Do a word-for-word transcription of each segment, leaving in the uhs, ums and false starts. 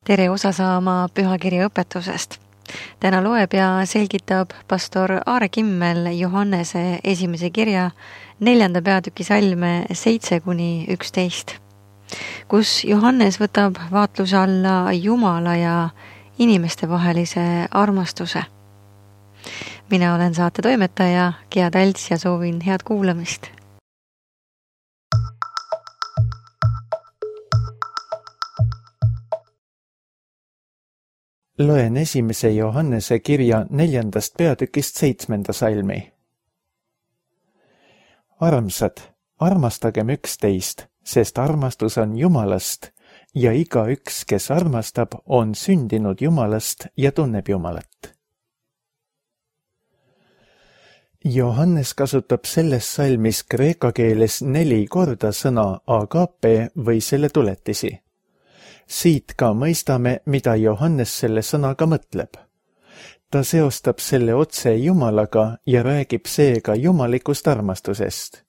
tere osa saama pühakirja õpetusest. Täna loeb ja selgitab pastor Aare Kimmel Johannese esimese kirja neljanda peatüki salme seitse kuni üksteist, kus Johannes võtab vaatluse alla Jumala ja inimeste vahelise armastuse. Mina olen saate toimetaja Gea Talts ja soovin head kuulamist. Loen esimese Johannese kirja neljandast peatükist seitsmenda salmi. Armsad, armastagem üksteist, sest armastus on Jumalast ja iga üks, kes armastab, on sündinud Jumalast ja tunneb Jumalat. Johannes kasutab selles salmis kreeka keeles neli korda sõna agape või selle tuletisi. Siit ka mõistame, mida Johannes selle sõnaga mõtleb. Ta seostab selle otse Jumalaga ja räägib seega jumalikust armastusest.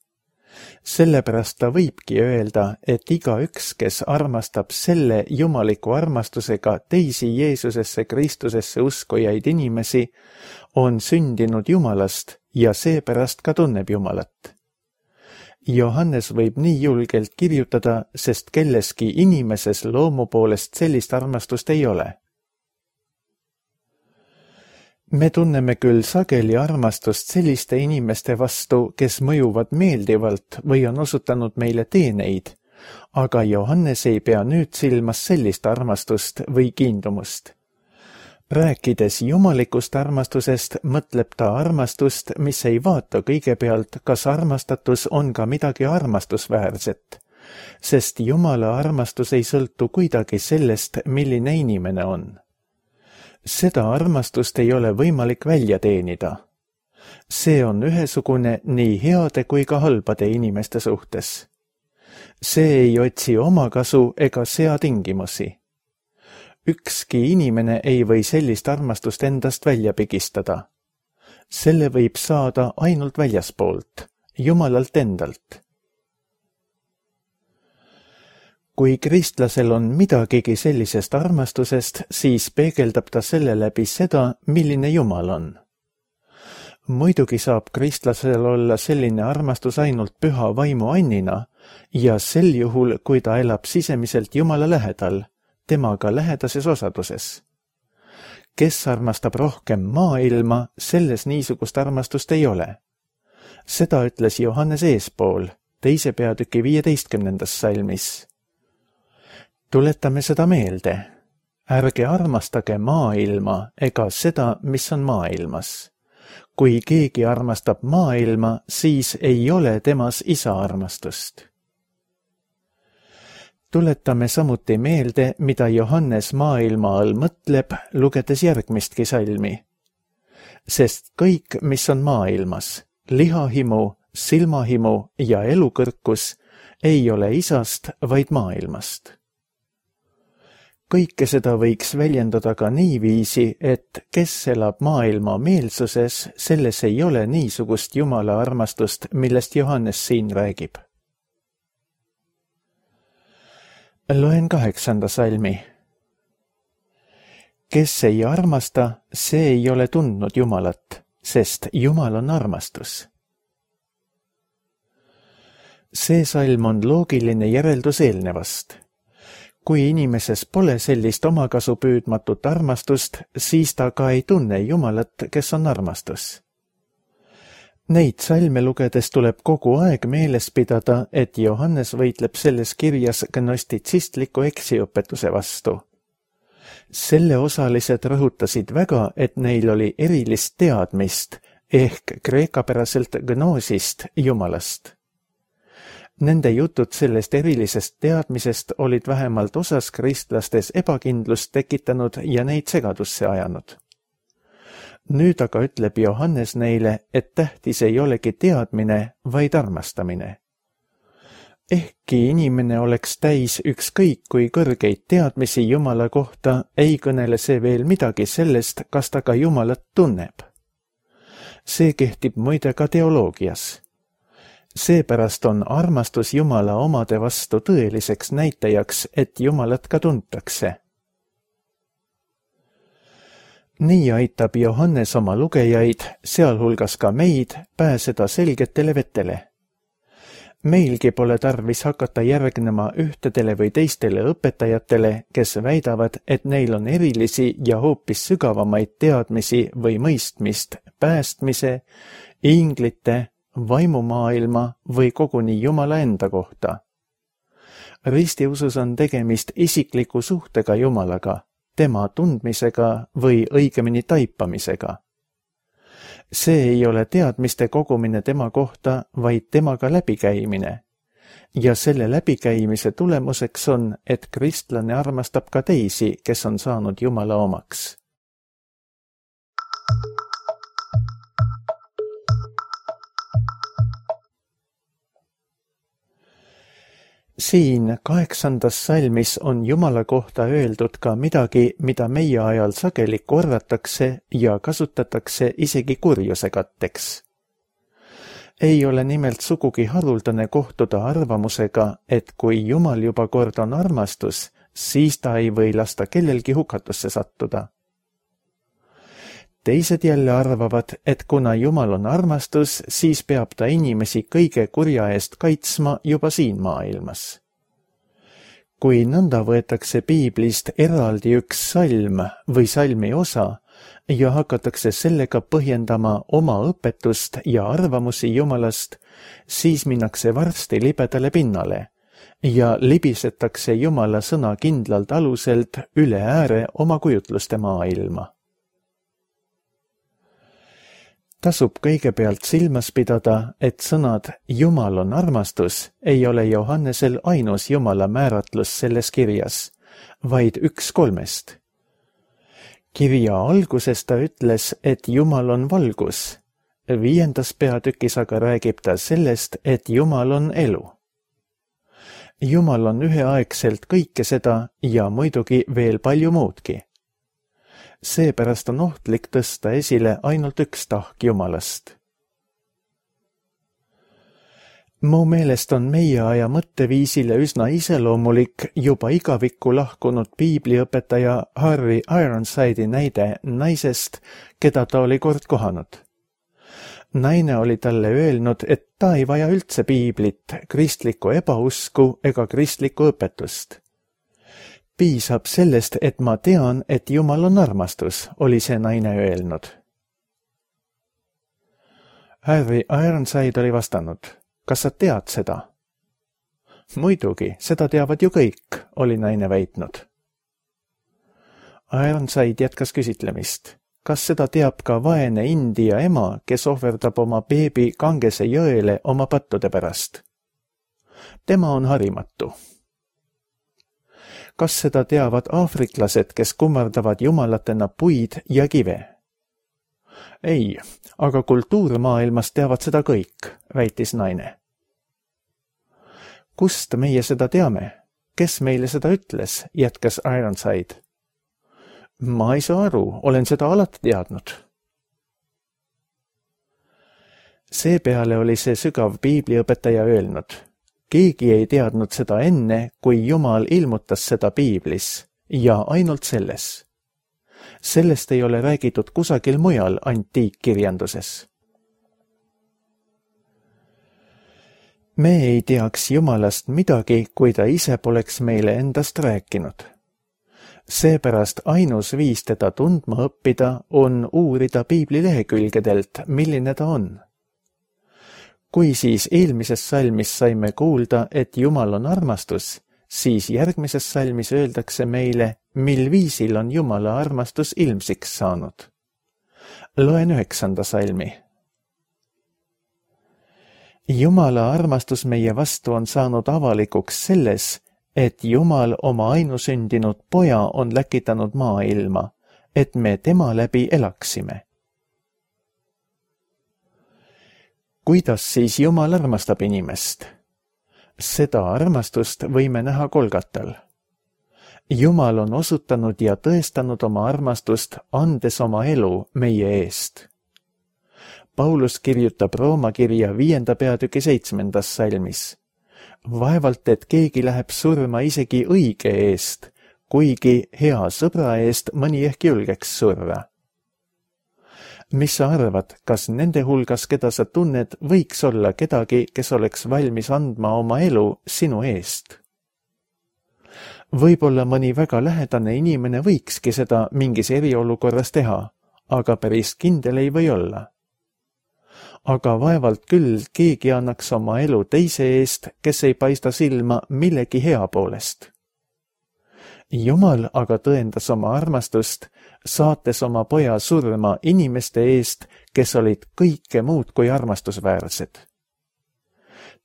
Sellepärast ta võibki öelda, et iga üks, kes armastab selle jumaliku armastusega teisi Jeesusesse Kristusesse uskujaid inimesi, on sündinud Jumalast ja seepärast ka tunneb Jumalat. Johannes võib nii julgelt kirjutada, sest kelleski inimeses loomu poolest sellist armastust ei ole. Me tunneme küll sageli armastust selliste inimeste vastu, kes mõjuvad meeldivalt või on osutanud meile teeneid, aga Johannes ei pea nüüd silmas sellist armastust või kiindumust. Rääkides jumalikust armastusest, mõtleb ta armastust, mis ei vaata kõigepealt, kas armastatus on ka midagi armastusväärset, sest Jumala armastus ei sõltu kuidagi sellest, milline inimene on. Seda armastust ei ole võimalik välja teenida. See on ühesugune nii heade kui ka halbade inimeste suhtes. See ei otsi oma kasu ega sea tingimusi. Ükski inimene ei või sellist armastust endast välja pigistada. Selle võib saada ainult väljaspoolt, Jumalalt endalt. Kui kristlasel on midagigi sellisest armastusest, siis peegeldab ta selle läbi seda, milline Jumal on. Muidugi saab kristlasel olla selline armastus ainult püha vaimu annina ja sel juhul, kui ta elab sisemiselt Jumala lähedal, temaga lähedases osaduses. Kes armastab rohkem maailma, selles niisugust armastust ei ole. Seda ütles Johannes eespool, teise peatüki viieteistkümnendas salmis. Tuletame seda meelde. Ärge armastage maailma ega seda, mis on maailmas. Kui keegi armastab maailma, siis ei ole temas isa armastust. Tuletame samuti meelde, mida Johannes maailma all mõtleb, lugedes järgmistki salmi. Sest kõik, mis on maailmas, lihahimu, silmahimu ja elukõrkus, ei ole isast, vaid maailmast. Kõike seda võiks väljendada ka niiviisi, et kes elab maailma meelsuses, selles ei ole niisugust Jumala armastust, millest Johannes siin räägib. Loen kaheksanda salmi. Kes ei armasta, see ei ole tundnud Jumalat, sest Jumal on armastus. See salm on loogiline järeldus eelnevast. Kui inimeses pole sellist omakasu püüdmatut armastust, siis ta ka ei tunne Jumalat, kes on armastus. Neid salme lugedes tuleb kogu aeg meeles pidada, et Johannes võitleb selles kirjas gnostitsistliku eksiõpetuse vastu. Selle osalised rõhutasid väga, et neil oli erilist teadmist ehk kreekapäraselt gnoosist Jumalast. Nende jutud sellest erilisest teadmisest olid vähemalt osas kristlastes ebakindlust tekitanud ja neid segadusse ajanud. Nüüd aga ütleb Johannes neile, et tähtis ei olegi teadmine, vaid armastamine. Ehkki inimene oleks täis ükskõik kui kõrgeid teadmisi Jumala kohta, ei kõnele see veel midagi sellest, kas ta ka Jumalat tunneb. See kehtib muide ka teoloogias. Seepärast on armastus Jumala omade vastu tõeliseks näitajaks, et Jumalat ka tuntakse. nii aitab Johannes oma lugejaid, sealhulgas ka meid, pääseda selgetele vetele. Meilgi pole tarvis hakata järgnema ühtedele või teistele õpetajatele, kes väidavad, et neil on erilisi ja hoopis sügavamaid teadmisi või mõistmist päästmise, inglite, vaimumaailma või koguni Jumala enda kohta. Ristiusus on tegemist isikliku suhtega Jumalaga, tema tundmisega või õigemini taipamisega. See ei ole teadmiste kogumine tema kohta, vaid temaga läbikäimine. Ja selle läbikäimise tulemuseks on, et kristlane armastab ka teisi, kes on saanud Jumala omaks. Siin kaheksandas salmis on Jumala kohta öeldud ka midagi, mida meie ajal sageli korratakse ja kasutatakse isegi kurjuse katteks. Ei ole nimelt sugugi haruldane kohtuda arvamusega, et kui Jumal juba kord on armastus, siis ta ei või lasta kellelgi hukatusse sattuda. Teised jälle arvavad, et kuna Jumal on armastus, siis peab ta inimesi kõige kurja eest kaitsma juba siin maailmas. Kui nõnda võetakse piiblist eraldi üks salm või salmi osa ja hakatakse sellega põhjendama oma õpetust ja arvamusi Jumalast, siis minnakse varsti libedale pinnale ja libisetakse Jumala sõna kindlalt aluselt üle ääre oma kujutluste maailma. Tasub kõigepealt silmas pidada, et sõnad Jumal on armastus ei ole Johannesel ainus Jumala määratlus selles kirjas, vaid üks kolmest. Kirja alguses ta ütles, et Jumal on valgus. Viiendas peatükis aga räägib ta sellest, et Jumal on elu. Jumal on üheaegselt kõike seda ja muidugi veel palju muudki. Seepärast on ohtlik tõsta esile ainult üks tahk Jumalast. Mu meelest on meie aja mõtteviisile üsna iseloomulik juba igavikku lahkunud piibliõpetaja Harry Ironside'i näide naisest, keda ta oli kord kohanud. Naine oli talle öelnud, et ta ei vaja üldse piiblit, kristlikku ebausku ega kristlikku õpetust. Piisab sellest, et ma tean, et Jumal on armastus, oli see naine öelnud. Harry Ironside oli vastanud, kas sa tead seda? Muidugi, seda teavad ju kõik, oli naine väitnud. Ironside jätkas küsitlemist. Kas seda teab ka vaene India ema, kes ohverdab oma beebi Kangese jõele oma pattude pärast? Tema on harimatu. Kas seda teavad aafriklased, kes kummardavad jumalatena puid ja kive? Ei, aga kultuurmaailmas teavad seda kõik, väitis naine. Kust meie seda teame? Kes meile seda ütles, jätkas Ironside. Ma ei saa aru, olen seda alati teadnud. Seepeale oli see sügav piibliõpetaja öelnud. Keegi ei teadnud seda enne, kui Jumal ilmutas seda piiblis ja ainult selles. Sellest ei ole räägitud kusagil mujal antiikkirjanduses. Me ei teaks Jumalast midagi, kui ta ise poleks meile endast rääkinud. Seepärast ainus viis teda tundma õppida on uurida piibli lehekülgedelt, milline ta on. Kui siis eelmises salmis saime kuulda, et Jumal on armastus, siis järgmises salmis öeldakse meile, mil viisil on Jumala armastus ilmsiks saanud. Loen üheksanda salmi. Jumala armastus meie vastu on saanud avalikuks selles, et Jumal oma ainusündinud poja on läkitanud maailma, et me tema läbi elaksime. Kuidas siis Jumal armastab inimest? Seda armastust võime näha Golgatal. Jumal on osutanud ja tõestanud oma armastust, andes oma elu meie eest. Paulus kirjutab Rooma kirja viienda peatüki seitsmendas salmis. Vaevalt, et keegi läheb surma isegi õige eest, kuigi hea sõbra eest mõni ehk julgeks surra. mis sa arvad, kas nende hulgas, keda sa tunned, võiks olla kedagi, kes oleks valmis andma oma elu sinu eest? Võib-olla mõni väga lähedane inimene võikski seda mingis eriolukorras teha, aga päris kindel ei või olla. Aga vaevalt küll keegi annaks oma elu teise eest, kes ei paista silma millegi hea poolest. Jumal aga tõendas oma armastust, saates oma poja surma inimeste eest, kes olid kõike muud kui armastusväärsed.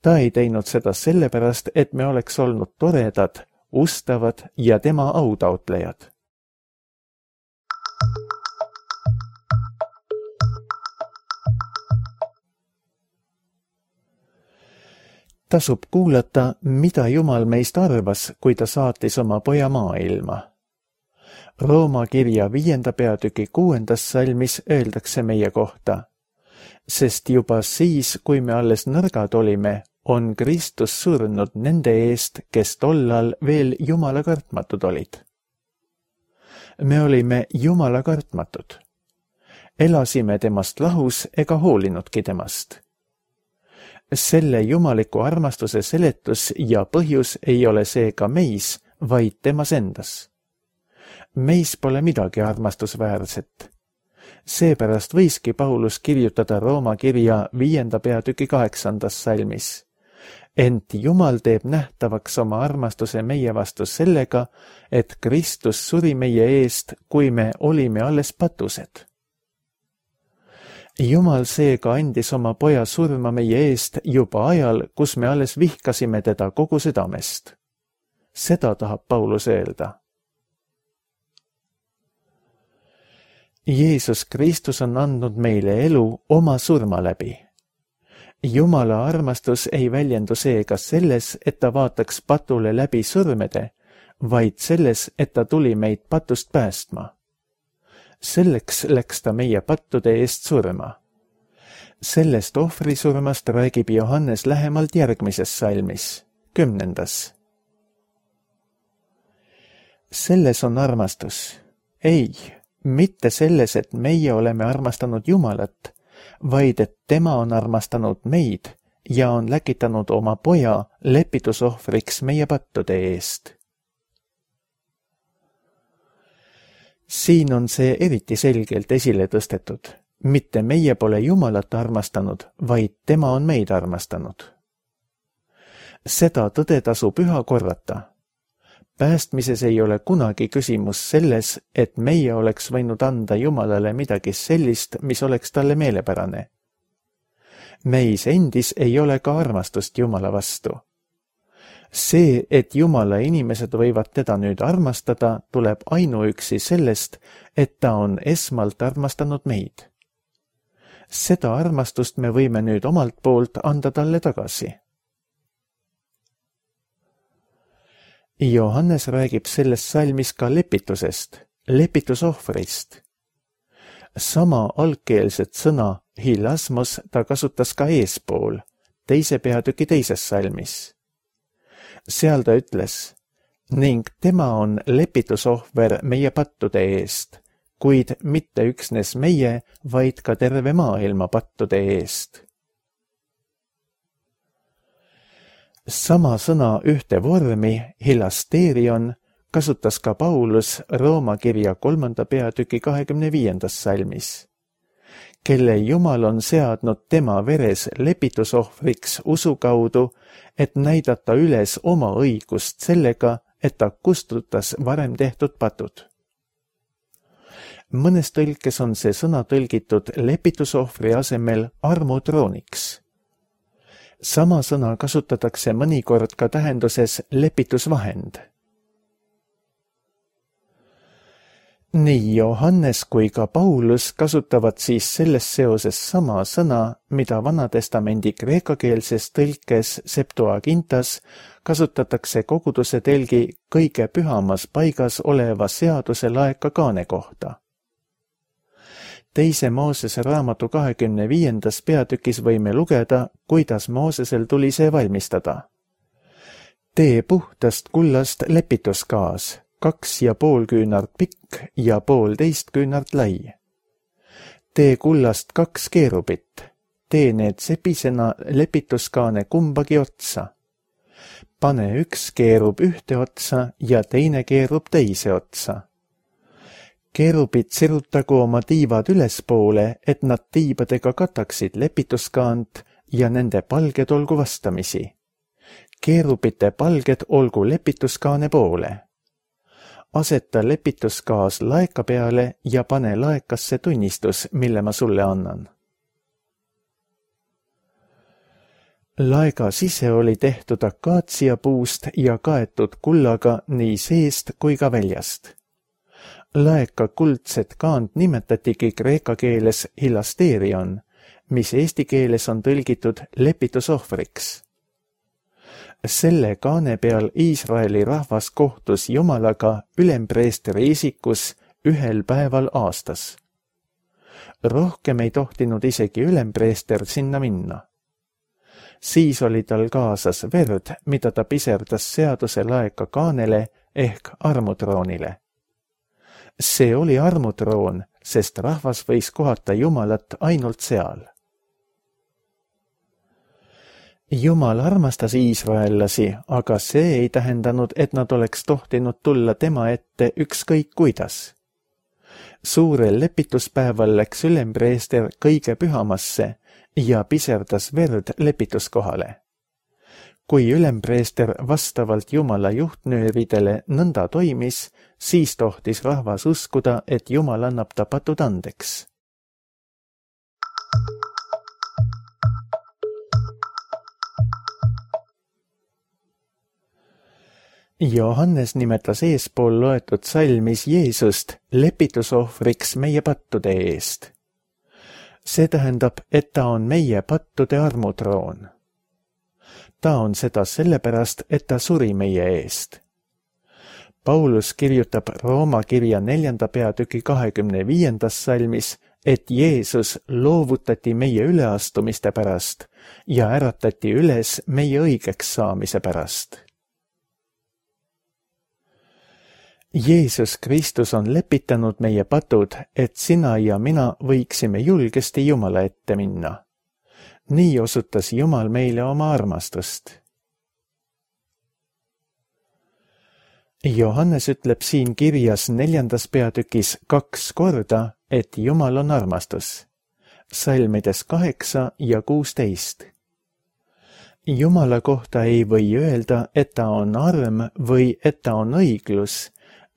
Ta ei teinud seda sellepärast, et me oleks olnud toredad, ustavad ja tema autaotlejad. Tasub kuulata, mida Jumal meist arvas, kui ta saatis oma poja maailma. Rooma kirja viienda peatüki kuuendas salmis öeldakse meie kohta, sest juba siis, kui me alles nõrgad olime, on Kristus surnud nende eest, kes tollal veel Jumala kartmatud olid. Me olime Jumala kartmatud. Elasime temast lahus ega hoolinudki temast. Selle jumaliku armastuse seletus ja põhjus ei ole seega meis, vaid temas endas. Meis pole midagi armastusväärset. Seepärast võiski Paulus kirjutada Rooma kirja viienda peatüki kaheksandas salmis. Ent Jumal teeb nähtavaks oma armastuse meie vastu sellega, et Kristus suri meie eest, kui me olime alles patused. Jumal seega andis oma poja surma meie eest juba ajal, kus me alles vihkasime teda kogu südamest. Seda tahab Paulus öelda. Jeesus Kristus on andnud meile elu oma surma läbi. Jumala armastus ei väljendu seega selles, et ta vaataks patule läbi sõrmede, vaid selles, et ta tuli meid patust päästma. Selleks läks ta meie pattude eest surma. Sellest ohvrisurmast räägib Johannes lähemalt järgmises salmis, kümnendas. Selles on armastus. Ei, mitte selles, et meie oleme armastanud Jumalat, vaid et tema on armastanud meid ja on läkitanud oma poja lepitusohvriks meie pattude eest. Siin on see eriti selgelt esile tõstetud. Mitte meie pole Jumalat armastanud, vaid tema on meid armastanud. Seda tõde tasub üha korrata. Päästmises ei ole kunagi küsimus selles, et meie oleks võinud anda Jumalale midagi sellist, mis oleks talle meelepärane. Meis endis ei ole ka armastust Jumala vastu. See, et Jumala inimesed võivad teda nüüd armastada, tuleb ainuüksi sellest, et ta on esmalt armastanud meid. Seda armastust me võime nüüd omalt poolt anda talle tagasi. Johannes räägib selles salmis ka lepitusest, lepitusohvrist. Sama algkeelset sõna hilasmos ta kasutas ka eespool, teise peatüki teises salmis. Seal ta ütles, ning tema on lepitusohver meie pattude eest, kuid mitte üksnes meie, vaid ka terve maailma pattude eest. Sama sõna ühte vormi, hilasterion, kasutas ka Paulus Rooma kirja kolmanda peatüki kahekümne viiendas salmis, kelle Jumal on seadnud tema veres lepitusohvriks usu kaudu, et näidata üles oma õigust sellega, et ta kustutas varem tehtud patud. Mõnes tõlkes on see sõna tõlgitud lepitusohvri asemel armutrooniks. Sama sõna kasutatakse mõnikord ka tähenduses lepitusvahend. Nii Johannes kui ka Paulus kasutavad siis selles seoses sama sõna, mida Vanatestamendi kreekakeelses tõlkes Septuagintas kasutatakse koguduse telgi kõige pühamas paigas oleva seaduse laeka kaane kohta. Teise Moosese raamatu kahekümne viiendas peatükis võime lugeda, kuidas Moosesel tuli see valmistada. Tee puhtast kullast lepituskaas, kaks ja pool küünart pikk ja poolteist küünart lai. tee kullast kaks keerubit, tee need sepisena lepituskaane kumbagi otsa. Pane üks keerub ühte otsa ja teine keerub teise otsa. Keerubid sirutagu oma tiivad ülespoole, et nad tiibadega kataksid lepituskaant ja nende palged olgu vastamisi. Keerubite palged olgu lepituskaane poole. Aseta lepituskaas laeka peale ja pane laekasse tunnistus, mille ma sulle annan. Laega sise oli tehtud akaatsia puust ja kaetud kullaga nii seest kui ka väljast. Laeka kuldset kaant nimetatigi kreeka keeles hilasterion, mis eesti keeles on tõlgitud lepitusohvriks. Selle kaane peal Iisraeli rahvas kohtus Jumalaga ülempreestri isikus ühel päeval aastas. Rohkem ei tohtinud isegi ülempreester sinna minna. Siis oli tal kaasas verd, mida ta piserdas seaduse laeka kaanele ehk armutroonile. See oli armutroon, sest rahvas võis kohata Jumalat ainult seal. Jumal armastas iisraellasi, aga see ei tähendanud, et nad oleks tohtinud tulla tema ette ükskõik kuidas. Suurel lepituspäeval läks ülempreester kõige pühamasse ja piserdas verd lepituskohale. Kui ülempreester vastavalt Jumala juhtnööridele nõnda toimis, siis tohtis rahvas uskuda, et Jumal annab ta patud andeks. Johannes nimetas eespool loetud salmis Jeesust lepitusohvriks meie pattude eest. See tähendab, et ta on meie pattude armutroon. Ta on seda sellepärast, et ta suri meie eest. Paulus kirjutab Rooma kirja neljanda peatüki kahekümne viiendas salmis, et Jeesus loovutati meie üleastumiste pärast ja äratati üles meie õigeks saamise pärast. Jeesus Kristus on lepitanud meie patud, et sina ja mina võiksime julgesti Jumala ette minna. Nii osutas Jumal meile oma armastust. Johannes ütleb siin kirjas neljandas peatükis kaks korda, et Jumal on armastus. Salmides kaheksa ja kuusteist. Jumala kohta ei või öelda, et ta on arm või et ta on õiglus,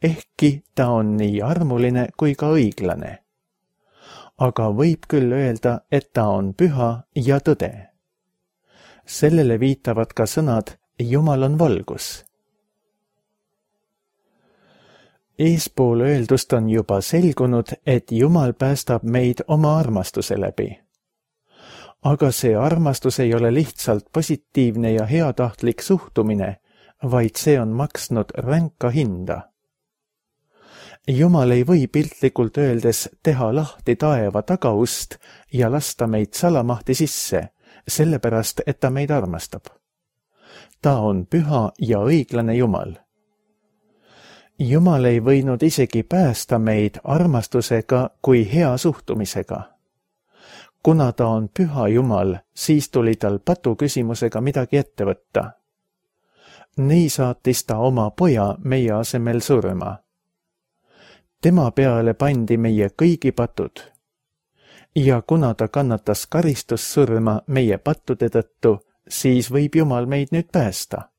ehkki ta on nii armuline kui ka õiglane. Aga võib küll öelda, et ta on püha ja tõde. Sellele viitavad ka sõnad Jumal on valgus. Eespool öeldust on juba selgunud, et Jumal päästab meid oma armastuse läbi. Aga see armastus ei ole lihtsalt positiivne ja heatahtlik suhtumine, vaid see on maksnud ränka hinda. Jumal ei või piltlikult öeldes teha lahti taeva tagaust ja lasta meid salamahti sisse, sellepärast, et ta meid armastab. Ta on püha ja õiglane Jumal. Jumal ei võinud isegi päästa meid armastusega kui hea suhtumisega. Kuna ta on püha Jumal, siis tuli tal patu küsimusega midagi ette võtta. Nii saatis ta oma poja meie asemel surma. Tema peale pandi meie kõigi patud. Ja kuna ta kannatas karistussurma meie pattude tõttu, siis võib Jumal meid nüüd päästa.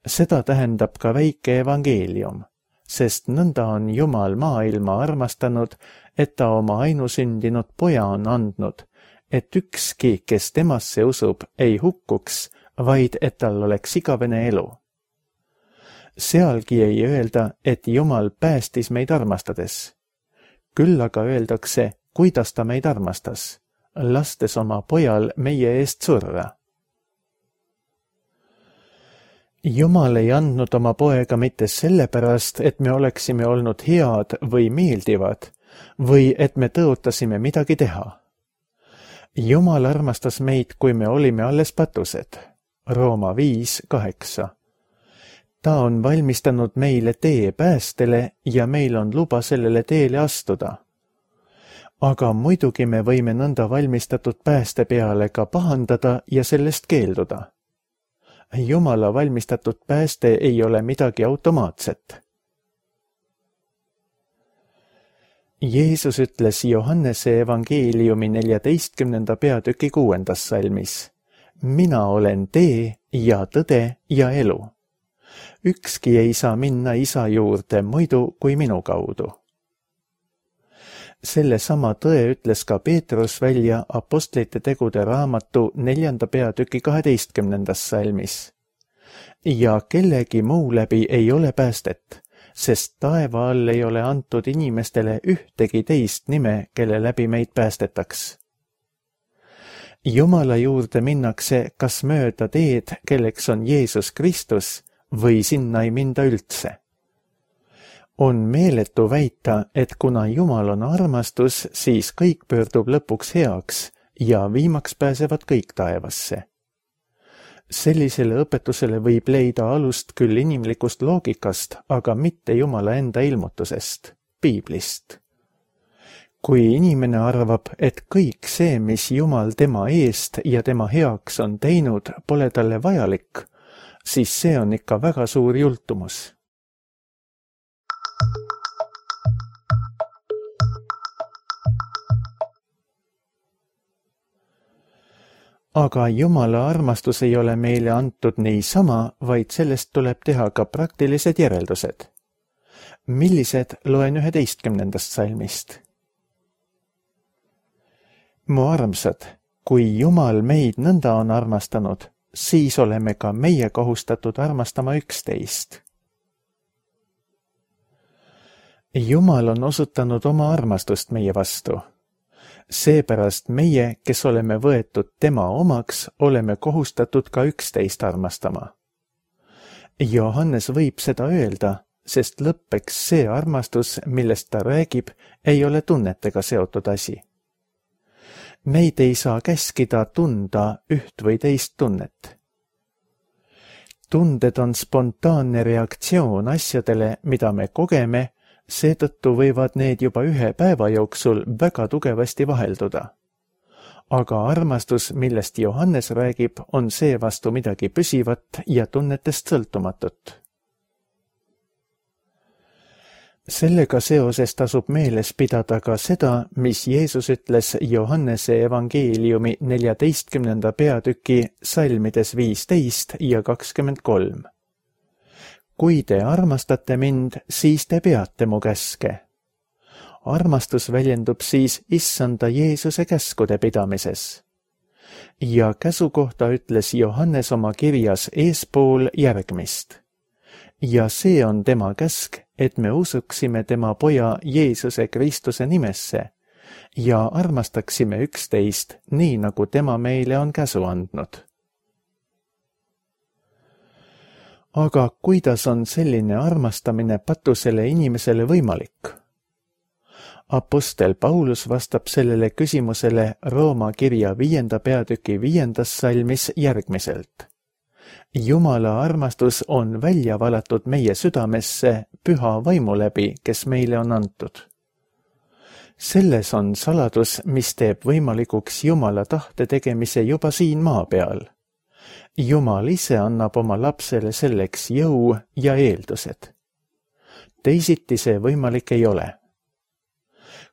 Seda tähendab ka väike evangeelium, sest nõnda on Jumal maailma armastanud, et ta oma ainusündinud poja on andnud, et ükski, kes temasse usub, ei hukkuks, vaid et tal oleks igavene elu. Sealgi ei öelda, et Jumal päästis meid armastades. Küll aga öeldakse, kuidas ta meid armastas, lastes oma pojal meie eest surra. Jumal ei andnud oma poega mitte sellepärast, et me oleksime olnud head või meeldivad, või et me tõotasime midagi teha. Jumal armastas meid, kui me olime alles patused. Rooma viis kaheksa. Ta on valmistanud meile tee päästele ja meil on luba sellele teele astuda. aga muidugi me võime nõnda valmistatud pääste peale ka pahandada ja sellest keelduda. Jumala valmistatud pääste ei ole midagi automaatset. Jeesus ütles Johannese evangeeliumi neljateistkümnenda peatüki kuuendas salmis: mina olen tee ja tõde ja elu. Ükski ei saa minna isa juurde muidu kui minu kaudu. Selle sama tõe ütles ka Peetrus välja Apostlite tegude raamatu neljanda peatüki kaheteistkümnendas salmis. Ja kellegi muu läbi ei ole päästet, sest taeva all ei ole antud inimestele ühtegi teist nime, kelle läbi meid päästetaks. Jumala juurde minnakse kas mööda teed, kelleks on Jeesus Kristus, või sinna ei minda üldse. On meeletu väita, et kuna Jumal on armastus, siis kõik pöördub lõpuks heaks ja viimaks pääsevad kõik taevasse. Sellisele õpetusele võib leida alust küll inimlikust loogikast, aga mitte Jumala enda ilmutusest, Piiblist. Kui inimene arvab, et kõik see, mis Jumal tema eest ja tema heaks on teinud, pole talle vajalik, siis see on ikka väga suur jultumus. Aga Jumala armastus ei ole meile antud niisama, vaid sellest tuleb teha ka praktilised järeldused. Millised loen üheteistkümnendast salmist? Mu armsad, kui Jumal meid nõnda on armastanud, siis oleme ka meie kohustatud armastama üksteist. Jumal on osutanud oma armastust meie vastu. Seepärast meie, kes oleme võetud tema omaks, oleme kohustatud ka üksteist armastama. Johannes võib seda öelda, sest lõppeks see armastus, millest ta räägib, ei ole tunnetega seotud asi. Meid ei saa käskida tunda üht või teist tunnet. Tunded on spontaanne reaktsioon asjadele, mida me kogeme, seetõttu võivad need juba ühe päeva jooksul väga tugevasti vahelduda. Aga armastus, millest Johannes räägib, on seevastu midagi püsivat ja tunnetest sõltumatut. Sellega seoses tasub meeles pidada ka seda, mis Jeesus ütles Johannese evangeeliumi neljateistkümnenda peatüki salmides viisteist ja kakskümmend kolm. Kui te armastate mind, siis te peate mu käske. Armastus väljendub siis issanda Jeesuse käskude pidamises. Ja käsu kohta ütles Johannes oma kirjas eespool järgmist. Ja see on tema käsk, et me usuksime tema poja Jeesuse Kristuse nimesse ja armastaksime üksteist, nii nagu tema meile on käsu andnud. Aga kuidas on selline armastamine patusele inimesele võimalik? Apostel Paulus vastab sellele küsimusele Rooma kirja viienda peatüki viiendas salmis järgmiselt. Jumala armastus on välja valatud meie südamesse püha vaimu läbi, kes meile on antud. Selles on saladus, mis teeb võimalikuks Jumala tahte tegemise juba siin maa peal. Jumal ise annab oma lapsele selleks jõu ja eeldused. Teisiti see võimalik ei ole.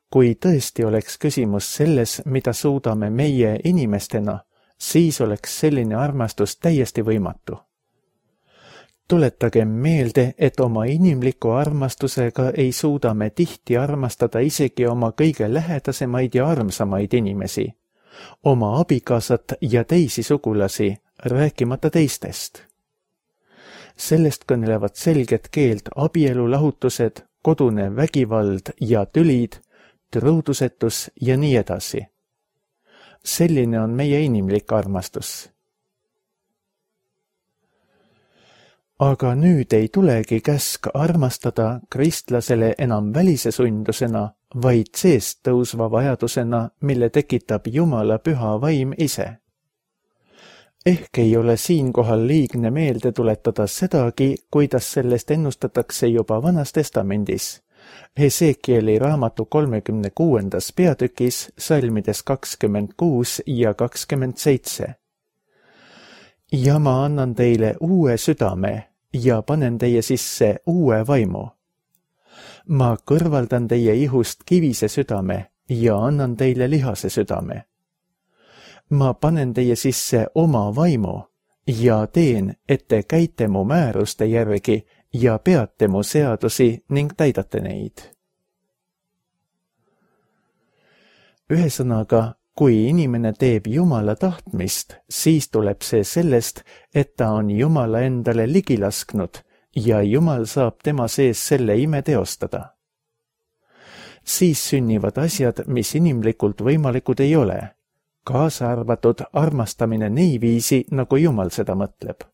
Kui tõesti oleks küsimus selles, mida suudame meie inimestena, siis oleks selline armastus täiesti võimatu. Tuletagem meelde, et oma inimliku armastusega ei suuda me tihti armastada isegi oma kõige lähedasemaid ja armsamaid inimesi, oma abikaasat ja teisi sugulasi, rääkimata teistest. Sellest kõnelevad selget keelt abielulahutused, kodune vägivald ja tülid, truudusetus ja nii edasi. Selline on meie inimlik armastus. Aga nüüd ei tulegi käsk armastada kristlasele enam välise sundusena, vaid seest tõusva vajadusena, mille tekitab Jumala püha vaim ise. Ehk ei ole siinkohal liigne meelde tuletada sedagi, kuidas sellest ennustatakse juba Vanas Testamendis, Hesekieli raamatu kolmekümne kuuendas peatükis salmides kakskümmend kuus ja kakskümmend seitse. Ja ma annan teile uue südame ja panen teie sisse uue vaimu. Ma kõrvaldan teie ihust kivise südame ja annan teile lihase südame. Ma panen teie sisse oma vaimu ja teen, et te käite mu määruste järgi ja peate mu seadusi ning täidate neid. Ühesõnaga, kui inimene teeb Jumala tahtmist, siis tuleb see sellest, et ta on Jumala endale ligi lasknud ja Jumal saab tema sees selle ime teostada. Siis sünnivad asjad, mis inimlikult võimalikud ei ole, kaasa arvatud armastamine niiviisi, nagu Jumal seda mõtleb.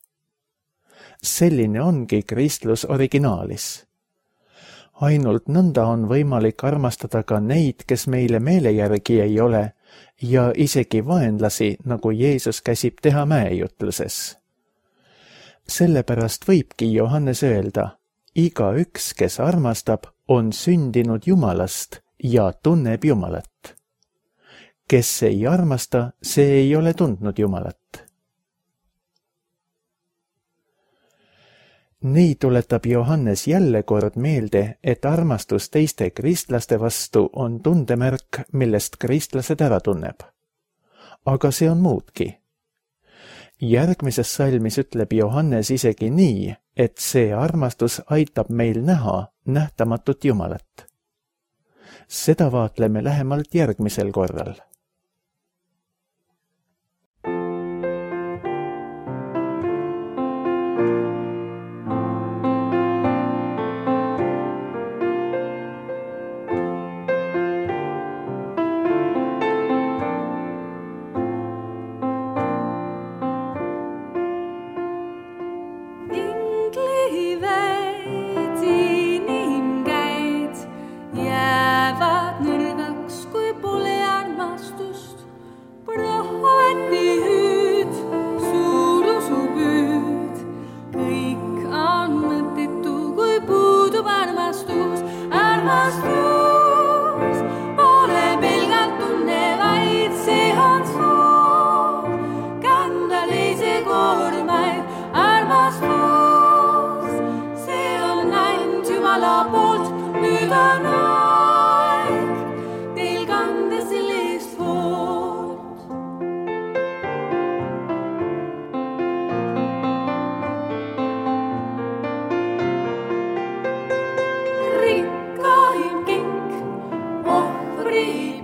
Selline ongi kristlus originaalis. Ainult nõnda on võimalik armastada ka neid, kes meile meele järgi ei ole, ja isegi vaenlasi, nagu Jeesus käsib teha mäejutluses. Sellepärast võibki Johannes öelda, igaüks, kes armastab, on sündinud Jumalast ja tunneb Jumalat. Kes ei armasta, see ei ole tundnud Jumalat. Nii tuletab Johannes jälle kord meelde, et armastus teiste kristlaste vastu on tundemärk, millest kristlased ära tunneb. Aga see on muudki. Järgmises salmis ütleb Johannes isegi nii, et see armastus aitab meil näha nähtamatut Jumalat. Seda vaatleme lähemalt järgmisel korral. Rikkaim kink ohvri